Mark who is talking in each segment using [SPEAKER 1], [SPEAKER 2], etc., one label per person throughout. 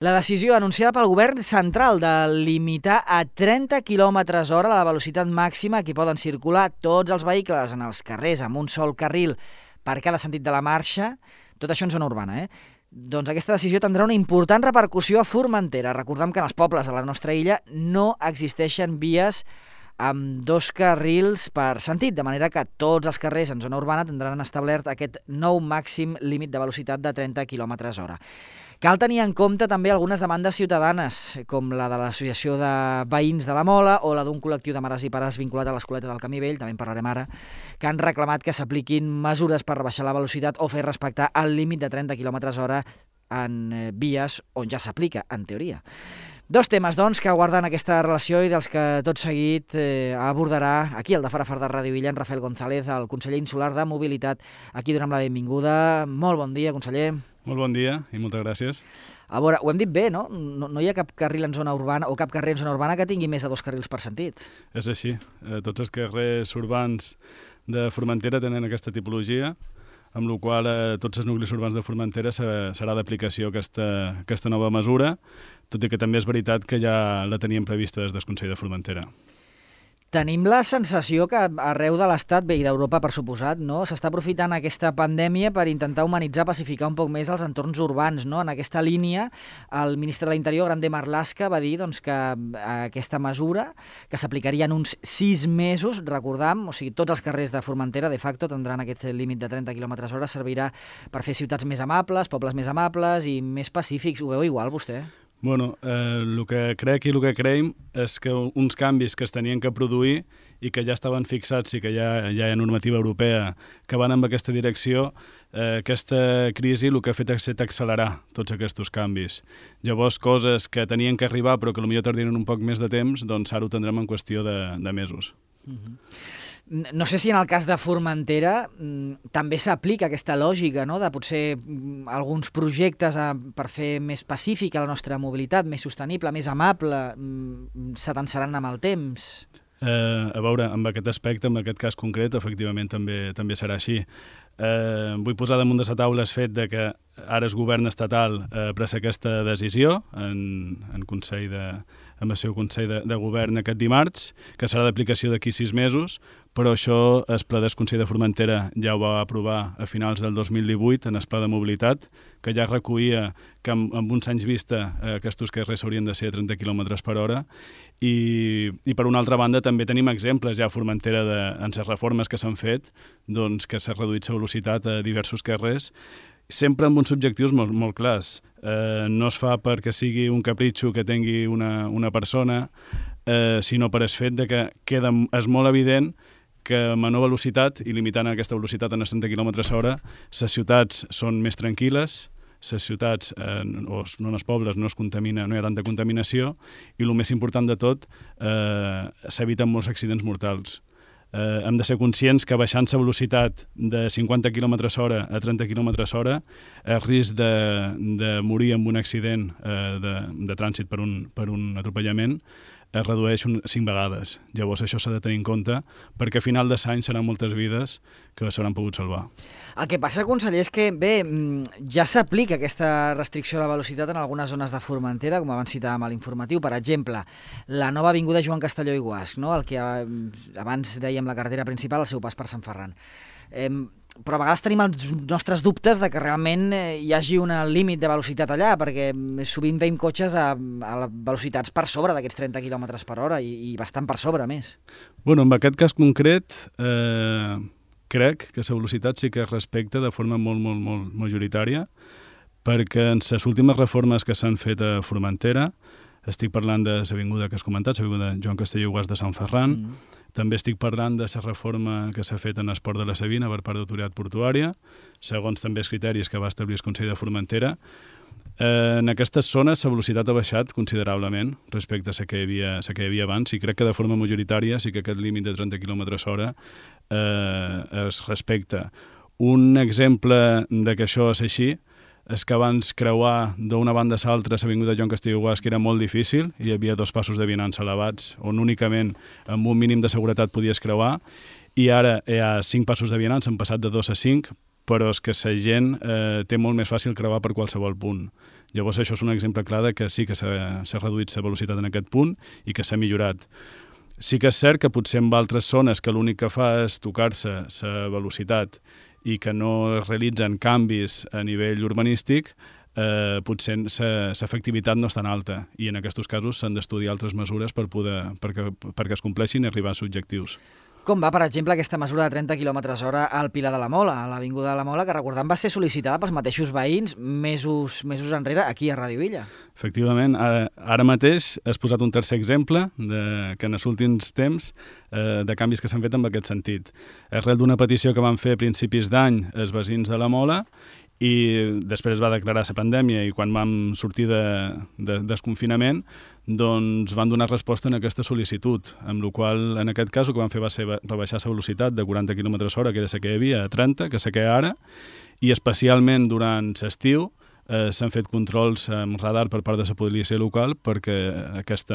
[SPEAKER 1] La decisió anunciada pel govern central de limitar a 30 km/h la velocitat màxima que poden circular tots els vehicles en els carrers amb un sol carril per cada sentit de la marxa, tot això en zona urbana, Doncs aquesta decisió tindrà una important repercussió a Formentera. Recordem que en els pobles de la nostra illa no existeixen vies amb dos carrils per sentit, de manera que tots els carrers en zona urbana tindran establert aquest nou màxim límit de velocitat de 30 km/h. Cal tenir en compte també algunes demandes ciutadanes, com la de l'Associació de Veïns de la Mola o la d'un col·lectiu de mares i pares vinculat a l'Escoleta del Camí Vell, també en parlarem ara, que han reclamat que s'apliquin mesures per rebaixar la velocitat o fer respectar el límit de 30 km/h en vies on ja s'aplica, en teoria. Dos temes, doncs, que guarden aquesta relació i dels que tot seguit abordarà aquí, al de Farafar de Ràdio Illa, en Rafael González, el conseller insular de Mobilitat. Aquí donem la benvinguda. Molt bon dia, conseller.
[SPEAKER 2] Molt bon dia i moltes gràcies.
[SPEAKER 1] A veure, ho hem dit bé, no? No hi ha cap carril en zona urbana o cap carrer en zona urbana que tingui més de dos carrils per sentit.
[SPEAKER 2] És així. Tots els carrers urbans de Formentera tenen aquesta tipologia, amb la qual tots els nuclis urbans de Formentera serà d'aplicació aquesta nova mesura, tot i que també és veritat que ja la teníem prevista des del Consell de Formentera.
[SPEAKER 1] Tenim la sensació que arreu de l'Estat, bé, i d'Europa per suposat, no, s'està aprofitant aquesta pandèmia per intentar humanitzar, pacificar un poc més els entorns urbans, no? En aquesta línia, el ministre de l'Interior, Grande Marlaska, va dir doncs, que aquesta mesura, que s'aplicaria en uns 6 mesos, recordam, o sigui, tots els carrers de Formentera, de facto, tindran aquest límit de 30 km/h, servirà per fer ciutats més amables, pobles més amables i més pacífics. Ho veu igual, vostè?
[SPEAKER 2] Bueno, el que crec i el que creiem és que uns canvis que es tenien que produir i que ja estaven fixats i que ja hi ha normativa europea que van en aquesta direcció, aquesta crisi el que ha fet ha estat accelerar tots aquests canvis. Llavors, coses que tenien que arribar però que potser tardien un poc més de temps, doncs ara ho tindrem en qüestió de mesos.
[SPEAKER 1] No sé si en el cas de Formentera també s'aplica aquesta lògica, no?, de potser alguns projectes per fer més pacífica la nostra mobilitat, més sostenible, més amable, s'atansaran amb el temps.
[SPEAKER 2] A veure, amb aquest aspecte, en aquest cas concret, efectivament també serà així. Vull posar damunt de la taula el fet de que ara el govern estatal pres aquesta decisió en el seu Consell de Govern aquest dimarts, que serà d'aplicació d'aquí 6 mesos, però això el Pla del Consell de Formentera ja ho va aprovar a finals del 2018 en el Pla de Mobilitat, que ja recollia que amb uns anys vista aquests carrers haurien de ser a 30 km/h i per una altra banda també tenim exemples ja a Formentera en les reformes que s'han fet, doncs que s'ha reduït la velocitat a diversos carrers, sempre amb uns objectius molt clars. No es fa perquè sigui un capritxo que tingui una persona, sinó per el fet de que és molt evident que a menor velocitat, i limitant aquesta velocitat a 30 km/h, les ciutats són més tranquil·les, les ciutats, o no en els pobles, no hi ha tanta contaminació, i el més important de tot, s'eviten molts accidents mortals. Hem de ser conscients que baixant la velocitat de 50 km/h a 30 km/h el risc de morir en un accident de trànsit per un atropellament es redueix 5 vegades. Llavors això s'ha de tenir en compte perquè a final de l'any seran moltes vides que s'hauran pogut salvar.
[SPEAKER 1] El que passa, conseller, és que, bé, ja s'aplica aquesta restricció de la velocitat en algunes zones de Formentera, com abans citàvem a l'informatiu. Per exemple, la nova avinguda Joan Castelló i Guasch, no? El que abans dèiem la carretera principal, el seu pas per Sant Ferran. Però a vegades tenim els nostres dubtes de que realment hi hagi un límit de velocitat allà, perquè sovint veiem cotxes a velocitats per sobre d'aquests 30 km/h i bastant per sobre, més.
[SPEAKER 2] Bueno, en aquest cas concret, crec que la velocitat sí que es respecta de forma molt majoritària, perquè en les últimes reformes que s'han fet a Formentera, estic parlant de l'avinguda que has comentat, l'avinguda Joan Castelló i Guasch de Sant Ferran, també estic parlant de la reforma que s'ha fet en el Port de la Sabina per part d'Autoritat Portuària, segons també els criteris que va establir el Consell de Formentera. En aquestes zones la velocitat ha baixat considerablement respecte a la que hi havia abans, i crec que de forma majoritària sí que aquest límit de 30 km/h es respecta. Un exemple de que això és així és que abans creuar d'una banda a l'altra l'avinguda Joan Castelló i Guasch era molt difícil, hi havia 2 passos de vianants elevats on únicament amb un mínim de seguretat podies creuar, i ara hi ha 5 passos de vianants, han passat de 2 a 5, però és que la gent té molt més fàcil creuar per qualsevol punt. Llavors això és un exemple clar de que sí que s'ha reduït la velocitat en aquest punt i que s'ha millorat. Sí que és cert que potser en altres zones que l'únic que fa és tocar-se la velocitat i que no es realitzen canvis a nivell urbanístic, potser l'efectivitat no és tan alta i en aquests casos s'han d'estudiar altres mesures perquè es compleixin i arribar als objectius.
[SPEAKER 1] Com va, per exemple, aquesta mesura de 30 km/h al Pilar de la Mola, a l'Avinguda de la Mola, que recordem va ser sol·licitada pels mateixos veïns mesos enrere aquí a Ràdio Illa?
[SPEAKER 2] Efectivament, ara mateix has posat un tercer exemple que en els últims temps de canvis que s'han fet en aquest sentit. Arrel d'una petició que van fer a principis d'any els veïns de la Mola i després va declarar la pandèmia i quan vam sortir de desconfinament doncs van donar resposta en aquesta sol·licitud, amb la qual en aquest cas el que van fer va ser rebaixar la velocitat de 40 km/h, que era la que hi havia, a 30, que és la que hi ha ara, i especialment durant l'estiu s'han fet controls amb radar per part de la policia local perquè aquest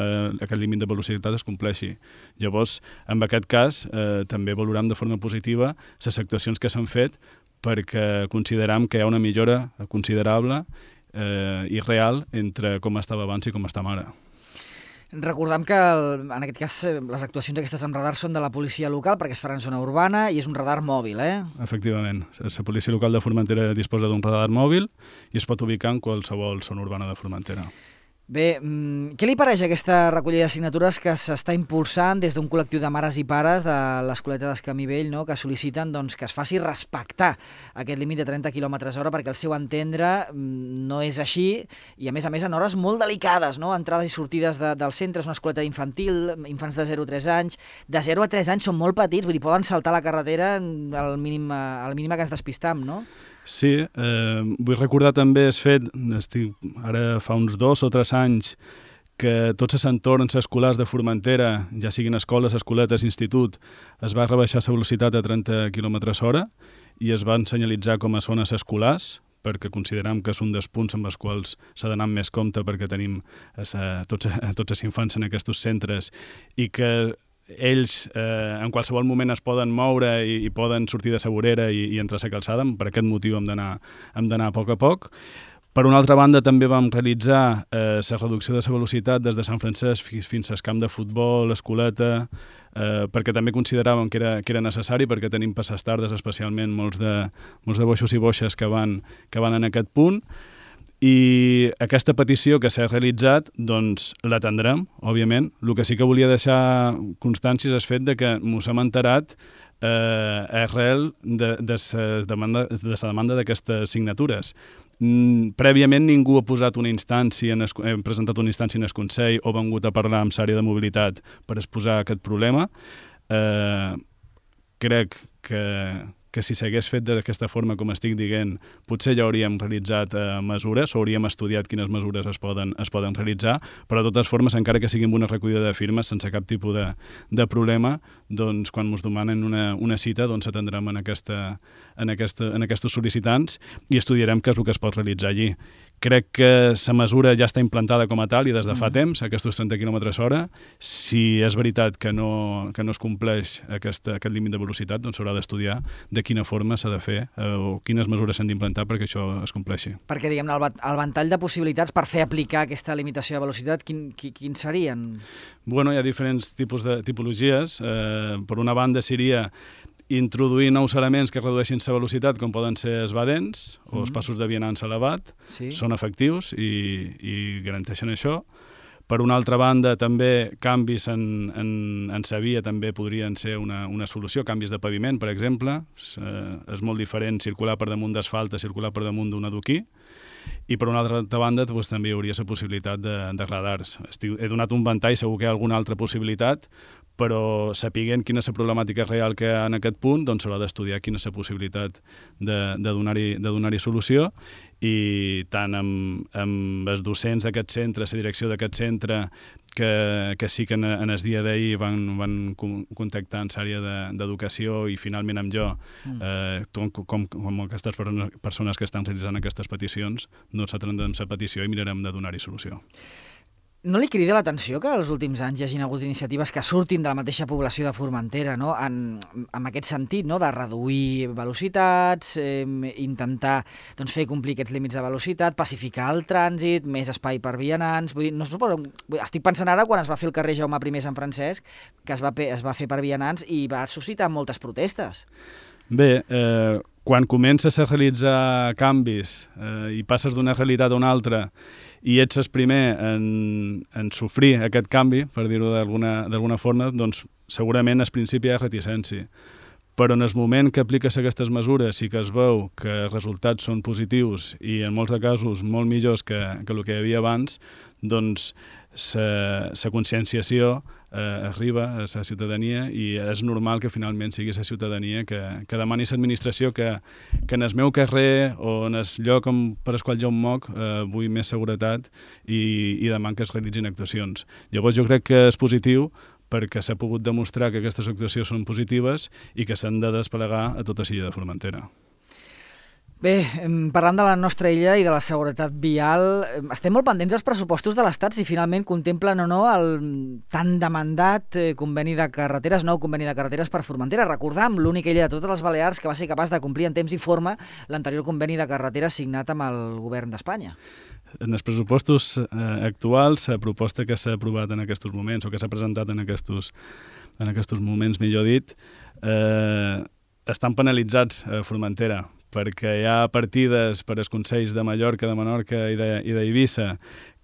[SPEAKER 2] límit de velocitat es compleixi. Llavors, en aquest cas, també valorem de forma positiva les actuacions que s'han fet perquè consideram que hi ha una millora considerable i real entre com estava abans i com està ara.
[SPEAKER 1] Recordem que, en aquest cas, les actuacions aquestes amb radar són de la policia local perquè es faran en zona urbana i és un radar mòbil,
[SPEAKER 2] Efectivament. La policia local de Formentera disposa d'un radar mòbil i es pot ubicar en qualsevol zona urbana de Formentera.
[SPEAKER 1] Bé, què li pareix aquesta recollida de signatures que s'està impulsant des d'un col·lectiu de mares i pares de l'Escoleta d'Escamí Vell, no?, que sol·liciten que es faci respectar aquest límit de 30 km/h perquè al seu entendre no és així i a més en hores molt delicades, no?, entrades i sortides del centre, és una escoleta infantil, infants de 0 a 3 anys, de 0 a 3 anys són molt petits, vull dir, poden saltar la carretera al mínima que ens despistam, no?
[SPEAKER 2] Sí, vull recordar també el fet, ara fa uns 2 o 3 anys, que tots els entorns escolars de Formentera, ja siguin escoles, escoletes, institut, es va rebaixar la velocitat a 30 km/h i es van senyalitzar com a zones escolars, perquè considerem que és un dels punts amb els quals s'ha d'anar amb més compte perquè tenim tots els infants en aquests centres i que ells en qualsevol moment es poden moure i poden sortir de la vorera i entrar a la calçada. Per aquest motiu hem d'anar a poc a poc. Per una altra banda, també vam realitzar la reducció de la velocitat des de Sant Francesc fins al camp de futbol, l'escoleta, perquè també consideràvem que era necessari, perquè tenim passes tardes, especialment molts de boixos i boixes que van en aquest punt. I aquesta petició que s'ha realitzat, doncs l'atendrem, òbviament. El que sí que volia deixar constància és el fet de que mos hem enterat arrel de la demanda d'aquestes signatures. Prèviament ningú ha posat una instància, hem presentat una instància en el Consell o vengut a parlar amb l'àrea de mobilitat per exposar aquest problema. Crec que si s'hagués fet d'aquesta forma, com estic dient, potser ja hauríem realitzat mesures o hauríem estudiat quines mesures es poden realitzar, però de totes formes, encara que sigui amb una recollida de firmes, sense cap tipus de problema, doncs quan ens demanen una cita, doncs atendrem en aquests sol·licitants i estudiarem què és el que es pot realitzar allí. Crec que la mesura ja està implantada com a tal i des de fa temps, aquests 30 km/h. Si és veritat que no es compleix aquest límit de velocitat, doncs s'haurà d'estudiar de quina forma s'ha de fer o quines mesures s'han d'implantar perquè això es compleixi.
[SPEAKER 1] Perquè, diguem-ne, el ventall de possibilitats per fer aplicar aquesta limitació de velocitat, quins serien?
[SPEAKER 2] Bueno, hi ha diferents tipologies. Per una banda seria introduir nous elements que redueixin la velocitat, com poden ser els badents o els passos de vianants elevat, són efectius i garanteixen això. Per una altra banda, també canvis en la via també podrien ser una solució, canvis de paviment, per exemple. És molt diferent circular per damunt d'asfalt a circular per damunt d'un adoquí. I per una altra banda doncs, també hi hauria la possibilitat de radars. He donat un ventall, segur que hi ha alguna altra possibilitat, però sapiguent quina és la problemàtica real que hi ha en aquest punt, doncs s'haurà d'estudiar quina és la possibilitat de donar-hi solució i tant amb els docents d'aquest centre, la direcció d'aquest centre, que sí que en el dia d'ahir van contactar amb l'àrea d'educació i finalment amb jo, com aquestes persones que estan realitzant aquestes peticions, doncs atendrem la petició i mirarem de donar-hi solució.
[SPEAKER 1] No li crida l'atenció que els últims anys hi hagin hagut iniciatives que surtin de la mateixa població de Formentera, no? En aquest sentit, no? De reduir velocitats, intentar fer complir aquests límits de velocitat, pacificar el trànsit, més espai per vianants... Vull dir, no suposo... Estic pensant ara quan es va fer el carrer Jaume I Sant Francesc, que es va fer per vianants i va suscitar moltes protestes.
[SPEAKER 2] Bé, quan comences a realitzar canvis i passes d'una realitat a una altra i ets el primer en sofrir aquest canvi, per dir-ho d'alguna forma, doncs segurament al principi hi ha reticència. Però en el moment que apliques aquestes mesures i que es veu que els resultats són positius i en molts de casos molt millors que el que hi havia abans, doncs la conscienciació arriba a la ciutadania i és normal que finalment sigui la ciutadania que demani a l'administració que en el meu carrer o en el lloc per al qual jo em moc vull més seguretat i demano que es realitzin actuacions. Llavors jo crec que és positiu perquè s'ha pogut demostrar que aquestes actuacions són positives i que s'han de desplegar a tota l'illa de Formentera.
[SPEAKER 1] Bé, parlant de la nostra illa i de la seguretat vial, estem molt pendents dels pressupostos de l'Estat si finalment contemplen o no el tan demandat conveni de carreteres, nou conveni de carreteres per Formentera. Recordam, l'única illa de totes les Balears que va ser capaç de complir en temps i forma l'anterior conveni de carreteres signat amb el govern d'Espanya.
[SPEAKER 2] En els pressupostos actuals, la proposta que s'ha aprovat en aquests moments, o que s'ha presentat en aquests moments, millor dit, estan penalitzats a Formentera, perquè hi ha partides per als consells de Mallorca, de Menorca i d'Eivissa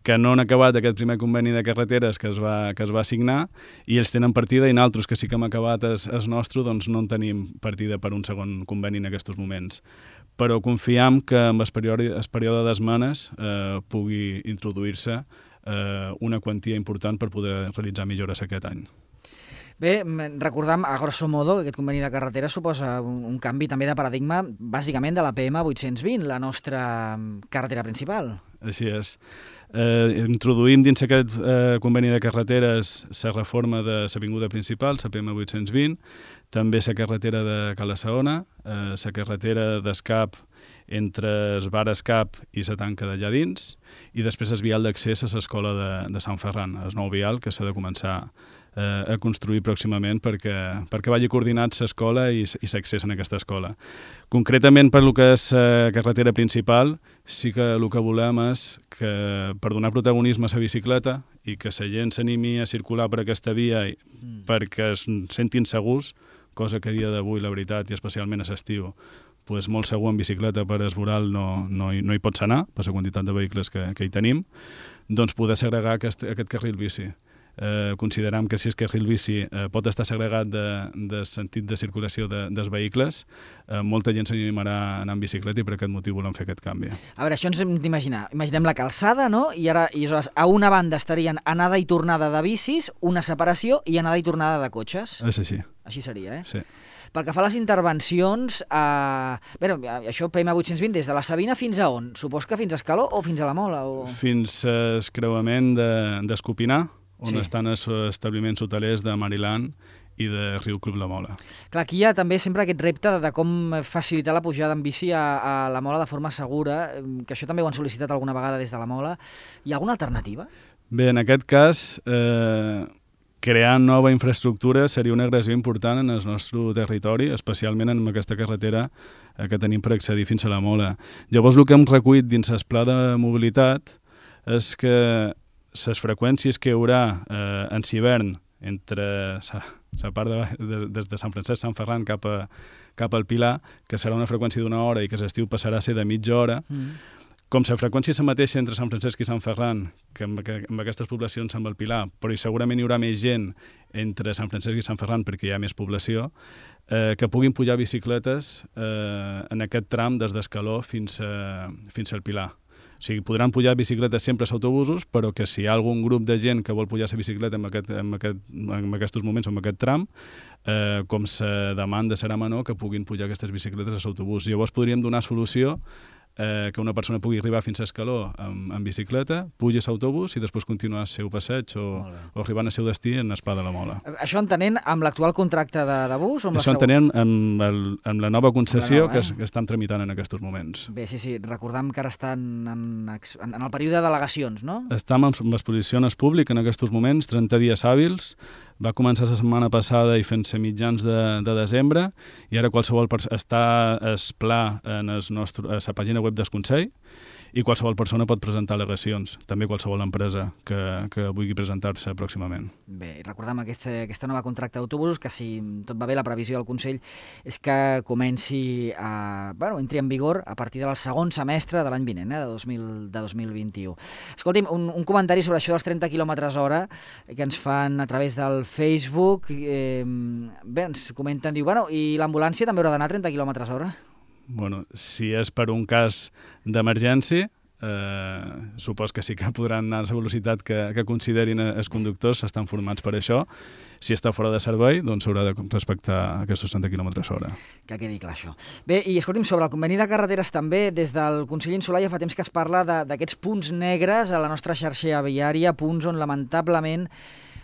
[SPEAKER 2] que no han acabat aquest primer conveni de carreteres que es va signar i ells tenen partida i nosaltres, que sí que hem acabat el nostre, doncs no en tenim partida per un segon conveni en aquests moments. Però confiem que amb el període d'esmenes pugui introduir-se una quantia important per poder realitzar millores aquest any.
[SPEAKER 1] Bé, recordam, a grosso modo, que aquest conveni de carretera suposa un canvi també de paradigma, bàsicament de la PM 820, la nostra carretera principal.
[SPEAKER 2] Així és. Introduïm dins aquest conveni de carreteres la reforma de l'avinguda principal, la PM 820, també la carretera de Cala-saona, la carretera d'escap entre el bar Escap i la tanca d'allà dins, i després el vial d'accés a l'escola de Sant Ferran, el nou vial que s'ha de començar a construir pròximament perquè vagi coordinat l'escola i l'accés en aquesta escola. Concretament per lo que és carretera principal, sí que el que volem és que per donar protagonisme a la bicicleta i que la gent s'animi a circular per aquesta via perquè es sentin segurs, cosa que a dia d'avui, la veritat, i especialment a l'estiu, pues molt segur en bicicleta per esvoral no hi pots anar, per la quantitat de vehicles que hi tenim, doncs poder segregar aquest carril bici. Consideram que si és carril bici pot estar segregat del sentit de circulació dels vehicles, molta gent s'animarà a anar en bicicleta i per aquest motiu volem fer aquest canvi.
[SPEAKER 1] A veure, això ens hem d'imaginar. Imaginem la calçada, no? I aleshores a una banda estarien anada i tornada de bicis, una separació i anada i tornada de cotxes.
[SPEAKER 2] És així.
[SPEAKER 1] Així seria, eh?
[SPEAKER 2] Sí.
[SPEAKER 1] Pel que fa a les intervencions, això PM 820, des de la Sabina fins a on? Supos que fins a Escaló o fins a la Mola?
[SPEAKER 2] Fins al creuament d'Escopinar, on estan els establiments hotelers de Mariland i de Riu Club La Mola.
[SPEAKER 1] Clar, aquí hi ha també sempre aquest repte de com facilitar la pujada en bici a la Mola de forma segura, que això també ho han sol·licitat alguna vegada des de la Mola. Hi ha alguna alternativa?
[SPEAKER 2] Bé, en aquest cas, crear nova infraestructura seria una agressió important en el nostre territori, especialment en aquesta carretera que tenim per accedir fins a la Mola. Llavors, el que hem recollit dins el pla de mobilitat és que les freqüències que hi haurà en l'hivern entre la part des de Sant Francesc, Sant Ferran cap al Pilar, que serà una freqüència d'una hora i que l'estiu passarà a ser de mitja hora, com la freqüència és la mateixa entre Sant Francesc i Sant Ferran, que amb aquestes poblacions amb el Pilar, però segurament hi haurà més gent entre Sant Francesc i Sant Ferran perquè hi ha més població, que puguin pujar bicicletes en aquest tram des d'Escaló fins al Pilar. O sigui, podran pujar bicicletes sempre als autobusos, però que si hi ha algun grup de gent que vol pujar la bicicleta en aquests moments o en aquest tram, com la demanda serà menor, que puguin pujar aquestes bicicletes als autobusos. Llavors podríem donar solució que una persona pugui arribar fins a Escaló en bicicleta, pugi a l'autobús i després continuar el seu passeig o arribar al seu destí en Espada de la Mola.
[SPEAKER 1] Això entenent amb l'actual contracte de bus?
[SPEAKER 2] Això entenent amb la nova concessió que estan tramitant en aquests moments.
[SPEAKER 1] Bé, sí, recordem que ara estan en el període de delegacions, no?
[SPEAKER 2] Estem en exposició en el públic en aquests moments, 30 dies hàbils. Va començar la setmana passada i fent-se mitjans de desembre, i ara qualsevol està el pla a la pàgina web del Consell, i qualsevol persona pot presentar al·legacions, també qualsevol empresa que vulgui presentar-se pròximament.
[SPEAKER 1] Bé, recordem aquesta nova contracte d'autobusos, que si tot va bé, la previsió del Consell és que entri en vigor a partir del segon semestre de l'any vinent, de 2021. Escolti'm, un comentari sobre això dels 30 km/h que ens fan a través del Facebook. Bé, ens comenten, diu, i l'ambulància també haurà d'anar a 30 km/h?
[SPEAKER 2] Bueno, si és per un cas d'emergència, supos que sí que podran anar a la velocitat que considerin els conductors, estan formats per això. Si està fora de servei, doncs s'haurà de respectar aquests 60 km/h.
[SPEAKER 1] Que quedi clar, això. Bé, i escolti'm, sobre el conveni de carreteres també, des del Consell Insular ja fa temps que es parla d'aquests punts negres a la nostra xarxa viària, punts on lamentablement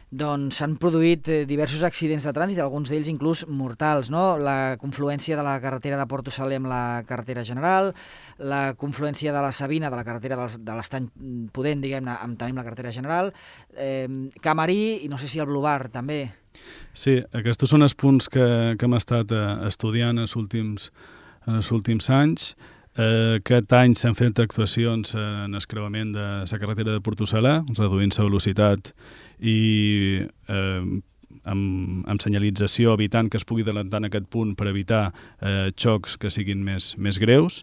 [SPEAKER 1] s'han produït diversos accidents de trànsit, alguns d'ells inclús mortals, no? La confluència de la carretera de Porto Saler amb la carretera general, la confluència de la Sabina, de la carretera de l'Estany Pudent, diguem-ne, també amb la carretera general, Camarí i no sé si el Blobar també.
[SPEAKER 2] Sí, aquests són els punts que hem estat estudiant en els últims anys. Aquest any s'han fet actuacions en el creuament de la carretera de Porto Saler, reduint la velocitat i amb senyalització, evitant que es pugui adelantar en aquest punt per evitar xocs que siguin més greus.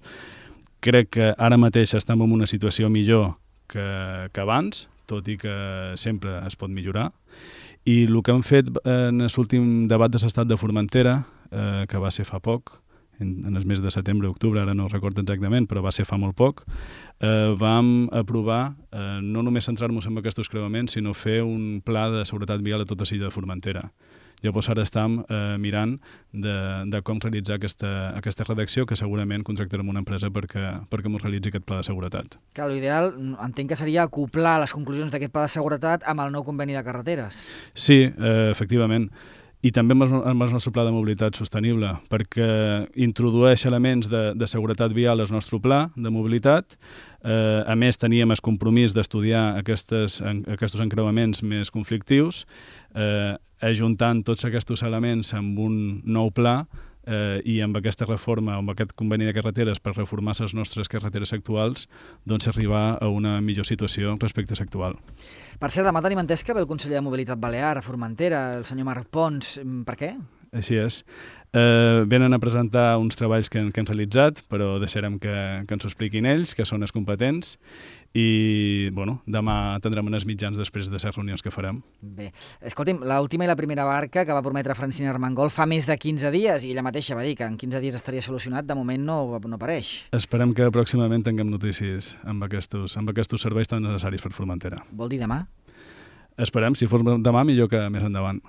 [SPEAKER 2] Crec que ara mateix estem en una situació millor que abans, tot i que sempre es pot millorar. I el que hem fet en l'últim debat de l'estat de Formentera, que va ser fa poc, en el mes de setembre o octubre, ara no recordo exactament, però va ser fa molt poc, vam aprovar no només centrar-nos en aquests creuaments, sinó fer un pla de seguretat vial a tota l'illa de Formentera. Llavors ara estem mirant de com realitzar aquesta redacció, que segurament contractarem una empresa perquè ens realitzi aquest pla de seguretat.
[SPEAKER 1] Clar, l'ideal entenc que seria acoplar les conclusions d'aquest pla de seguretat amb el nou conveni de carreteres.
[SPEAKER 2] Sí, efectivament. I també amb el nostre pla de mobilitat sostenible, perquè introdueix elements de seguretat vial al nostre pla de mobilitat. A més, teníem el compromís d'estudiar aquests encreuaments més conflictius, ajuntant tots aquests elements amb un nou pla i amb aquesta reforma, amb aquest conveni de carreteres per reformar les nostres carreteres actuals, doncs arribar a una millor situació respecte a l'actual.
[SPEAKER 1] Per cert, demà tenim entès que ve el conseller de Mobilitat Balear a Formentera, el senyor Marc Pons. Per què?
[SPEAKER 2] Així és. Venen a presentar uns treballs que han realitzat, però deixarem que ens ho expliquin ells, que són els competents, i demà tindrem uns mitjans després de les reunions que farem.
[SPEAKER 1] Bé, escolti'm, l'última i la primera barca que va prometre Francina Armengol fa més de 15 dies, i ella mateixa va dir que en 15 dies estaria solucionat, de moment no apareix.
[SPEAKER 2] Esperem que pròximament tinguem notícies amb aquests serveis tan necessaris per Formentera.
[SPEAKER 1] Vol dir demà?
[SPEAKER 2] Esperem, si fos demà, millor que més endavant.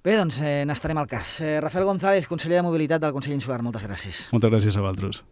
[SPEAKER 1] Bé, doncs n'estarem al cas. Rafael González, conseller de Mobilitat del Consell Insular, moltes gràcies.
[SPEAKER 2] Moltes gràcies a vosaltres.